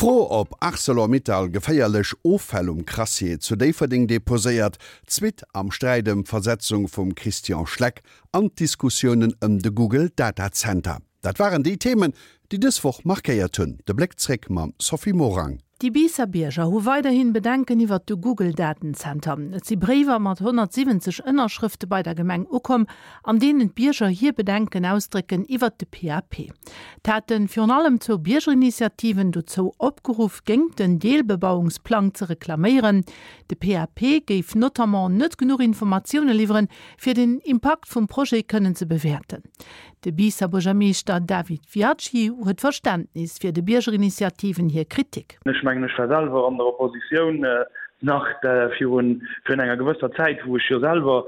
D'Fro, ob Arcelor-Mittal geféierlech Offäll um Crassier zu Déifferdeng deposéiert, d'Suite am Sträit ëm d'Versetzung vum Christian Schleck an d'Diskussiounen ëm de Google Datazenter, dat waren déi Themen, déi dës Woch markéiert hunn. De Bléck zréck mam Sophie Morang. Déi Biisser Bierger hu weiderhin Bedenken iwwert de Google-Datenzenter. Et si Bréiwer mat 170 Ënnerschrëfte bei der Gemeng ukomm, an deenen d'Bierger hir Bedenken ausdrécken iwwert de PAP. Et hate virun allem zwou Biergerinitiativen dozou opgeruff, géingt den Deelbebauungsplang ze reklaméieren. De PAP géif notamment net genuch Informatioune liwweren, fir den Impakt vum Projet kënnen ze bewäerten. De Biisser Buergermeeschter David Viaggi huet Verständnis fir de Biergerinitiativen hir Kritik. Ech mengen, ech war selwer an der Oppositioun nach virun enger gewësser Zäit, wou ech jo selwer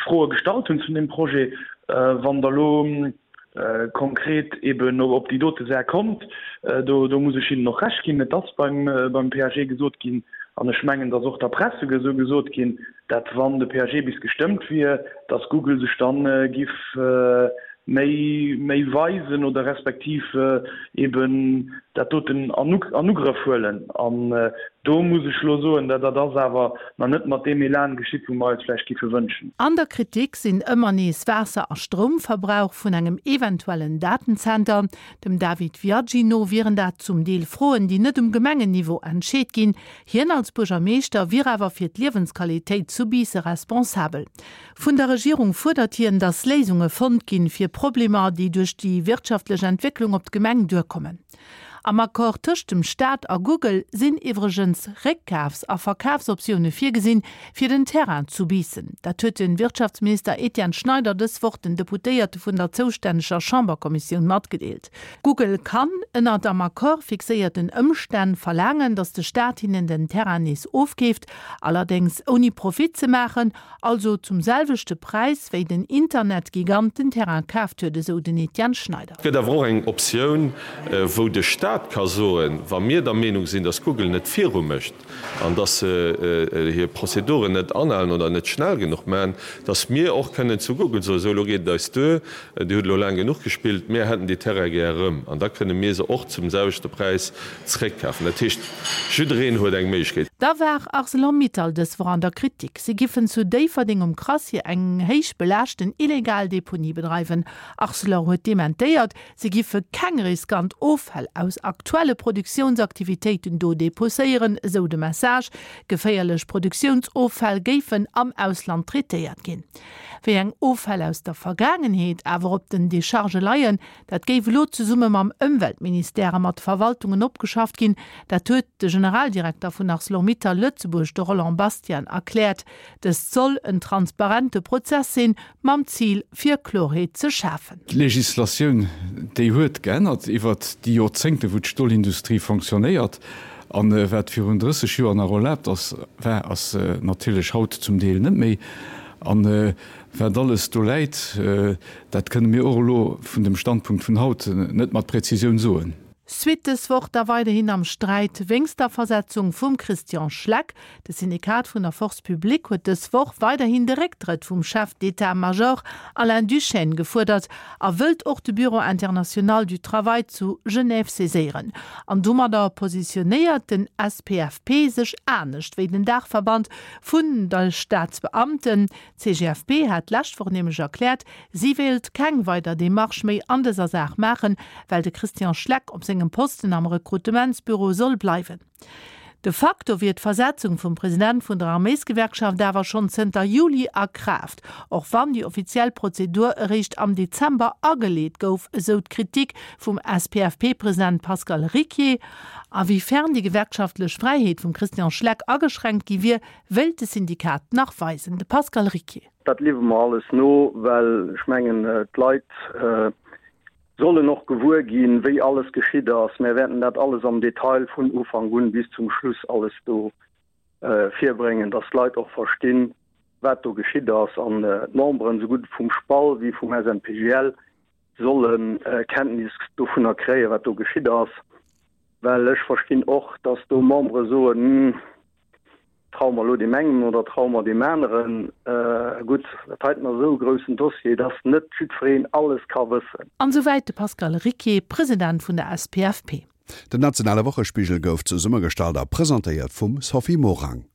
Froe gestallt hunn zu deem Projet. Wann Der elo konkret eben op déi dote Saach kommt, do muss ech Hinnen och Recht ginn, et ass beim PAG gesot ginn, an ech mengen, et ass och der Press esou gesot ginn, dat wann de PAG bis gestëmmt wier, dass Google sech dann giff méi méi weisen oder respektiv eben dat doten an Ugrëff huelen. An do muss ech elo soen, dat dat ass awer nach net mat deem Elan geschitt, wou mer eis vläicht giffe wënschen. An der Kritik sinn ëmmer nees Waasser a Stroumverbrauch vun engem eventuellen Datenzenter. Dem David Viaggi no wieren dat zum Deel Froen, déi net um Gemengenniveau entscheet ginn. Hien als Buergermeeschter wier awer fir d'Liewensqualitéit zu Biisse responsabel. Vun der Regierung fuerdert hien, datt Léisunge fonnt ginn, fir Problemer, déi duerch déi wirtschaftlech Entwécklung op d'Gemeng duerkommen. Am Accord tëscht dem Staat a Google sinn iwwregens Réckkafs a Verkafsoptioune virgesinn, fir den Terrain zu Biissen. Dat huet de Wirtschaftsminister Etienne Schneider dës Woch den Deputéierte vun der zoustänneger Chamberkommissioun matgedeelt. Google kann, ënnert am Accord fixéierten Ëmstänn, verlaangen, datt de Staat hinnen den Terrain nees ofkeeft, allerdéngs ouni Profit ze maachen, also zum selwechte Präis, wéi den Internetgigant den Terrain kaaft huet, esou den Etienne Schneider. Et gëtt awer och eng Optioun, wou de Staat ka soen, wa mir der Meenung sinn, datt Google net virumécht, an dass se hir Prozeduren net anhalen oder net schnell genuch maachen, dass mir och kënnen zu Google soen, esou elo geet et eis duer, Dir hutt elo laang genuch gespillt, mir hätten déi Terraine gär erëm. An da kënne mir se och zum selwechte Präis zréckkafen. Dat heescht, jiddereen huet eng Méiglechkeet. Da war Arcelor-Mittal dës Woch an der Kritik. Si giffen zu Déifferdeng um Crassier eng héich belaaschten illegal Deponie bedreiwen. Arcelor huet dementéiert, Si giffe keng riskant Offäll aus aktuelle Produktiounsaktivitéiten do deposéieren, esou de Message. Geféierlech Produktiounsoffäll géifen am Ausland traitéiert ginn. Wéi eng Offäll aus der Vergaangenheet awer op den Dechargë leien, dat géif elo zesumme mam Ëmweltministère a mat Verwaltungen opgeschafft ginn. Dat huet de Generaldirekter vun Arcelor-Mittal Lëtzebuerg, de Roland Bastian, erkläert. Dëst soll en transparente Prozess sinn, mam Zil fir Klorheet ze schafen. D'Législatioun, déi huet geännert iwwert déi Jorzéngte wou d'Stolindustrie fonctionnéiert. A wat virun 30 Joer nach erlaabt ass, war, ass natierlech haut zum Deel net méi. A wat alles do läit, dat kënne mir och elo vun dem Standpunkt vun haut net mat Präzisioun soen. Suite dës Woch da weiderhin am Sträit wéinst der Versetzung vum Christian Schleck. De Syndikat vun der Force publique huet dës Woch weiderhin de Récktrëtt vum Chef d'état-major Alain Duschène gefuerdert a wëllt och de Bureau international du travail zu Genève saiséieren. An domadder positionéiert den SPFP sech anescht wéi den Daachverband vun de Staatsbeamten. D'CGFP hat d'lescht Woch nämlech erkläert, si wéilt keng weider Demarche méi an dëser Saach maachen, well de Christian Schleck op sengem Posten am Rekrutementsbüro soll bleiwen. De facto wier d'Versetzung vum President vun der Arméisgewerkschaft awer schonn zënter Juli a Kraaft, och wann déi offiziell Prozedur eréischt am Dezember ageleet gouf, esou d'Kritik vum SPFP-President Pascal Ricquier. A wéi fern déi gewerkschaftlech Fräiheet vum Christian Schleck ageschränkt gi wier, wéilt de Syndikat nach weisen. De Pascal Ricquier. Dat liwwe mer alles no, well ech mengen, d'Leit sollen och gewuer ginn, wéi alles geschitt ass. Mär wäerten dat alles am Detail vun Ufank un bis zum Schluss alles do virbréngen, dass d'Leit och verstinn, wat do geschitt ass an d'Memberen, esou gutt vum SPAL wéi vum SNPGL, solle Kenntnis dovunner kréien, wat do geschitt ass. Well ech verstinn och, dass do Membere soen, Hm, Traue mer elo deem engen oder traue mer deem aneren? Gutt, dat heiten ass esou e groussen Dossier, dass net jiddwereen alles ka wëssen. An esouwäit de Pascal Ricquier, President vun der SPFP. Den nationale Wochespigel gouf zesummegestallt a presentéiert vum Sophie Morang.